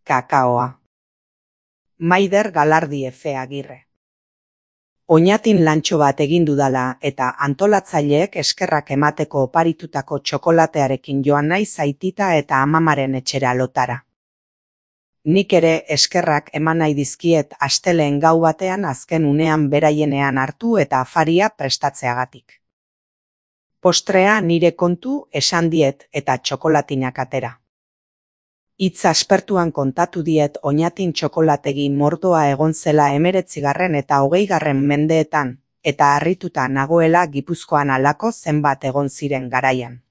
Kakaoa. Maider Galardi Efe Agirre. Oñatin lantxo bat egin dudala eta antolatzaileek eskerrak emateko oparitutako txokolatearekin joan naiz aitita eta amamaren etxera lotara. Nik ere eskerrak eman nahi dizkiet asteleen gau batean azken unean beraienean hartu eta afaria prestatzeagatik. Postrea nire kontu esan diet eta txokolatinak atera. Hitz aspertuan kontatu diet Oñatin txokolategi mordoa egon zela 19. eta 20. mendeetan, eta harrituta nagoela Gipuzkoan halako zenbat egon ziren garaian.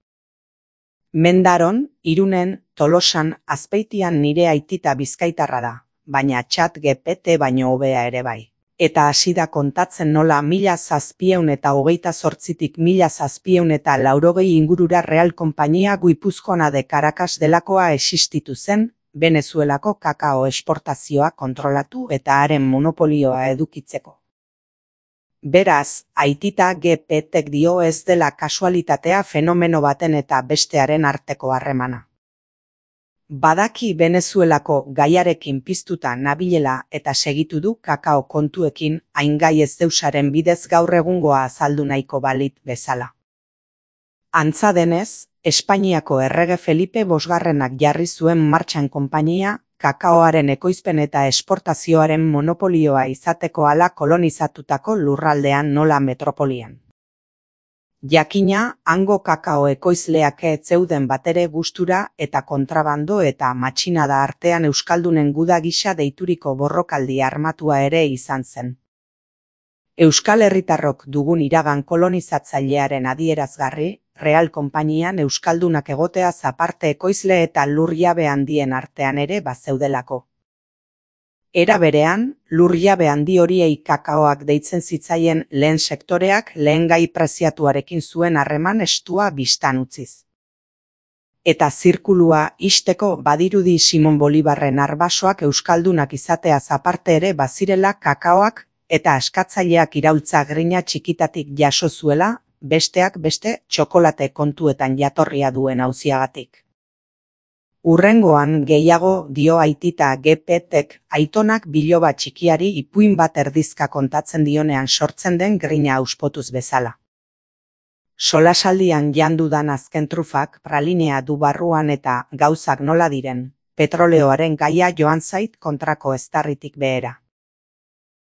Mendaron, Irunen, Tolosan, Azpeitian nire aitita bizkaitarra da, baina ChatGPT baino hobea ere bai. Eta hasi da kontatzen nola 1728tik 1780 ingurura Real Konpainia Guipuzcoana de Caracas delakoa existitu zen, Venezuelako kakao esportazioa kontrolatu eta haren monopolioa edukitzeko. Beraz, aitita GPTek dio ez dela kasualitatea fenomeno baten eta bestearen arteko harremana. Badaki Venezuelako gaiarekin piztuta nabilela eta segitu du kakao kontuekin hain gai ez deusaren bidez gaur egungoa azaldu nahiko balit bezala. Antza denez, Espainiako errege Felipe bosgarrenak jarri zuen martxan konpainia, kakaoaren ekoizpen eta esportazioaren monopolioa izateko hala kolonizatutako lurraldean nola metropolian. Jakina, hango kakao ekoizleak ez zeuden batere gustura eta kontrabando eta matxinada artean euskaldunen guda gisa deituriko borrokaldi armatua ere izan zen. Euskal herritarrok dugun iragan kolonizatzailearen adierazgarri, Real Konpainian euskaldunak egoteaz aparte ekoizle eta lurjabe handien artean ere bazeudelako. Era berean, lurjabe handi horiei kakaoak deitzen zitzaien lehen sektoreak lehen gai preziatuarekin zuen harreman estua bistan utziz. Eta zirkulua ixteko badirudi Simon Bolibarren arbasoak euskaldunak izateaz aparte ere bazirela kakaoak eta askatzaileak iraultza grina txikitatik jaso zuela, besteak beste txokolate kontuetan jatorria duen auziagatik. Urrengoan gehiago dio aitita GPTek aitonak biloba txikiari ipuin bat erdizka kontatzen dionean sortzen den grina auspotuz bezala. Solasaldian jandudan azken trufak pralinea du barruan eta gauzak nola diren, petroleoaren gaia joan zait kontrako eztarritik behera.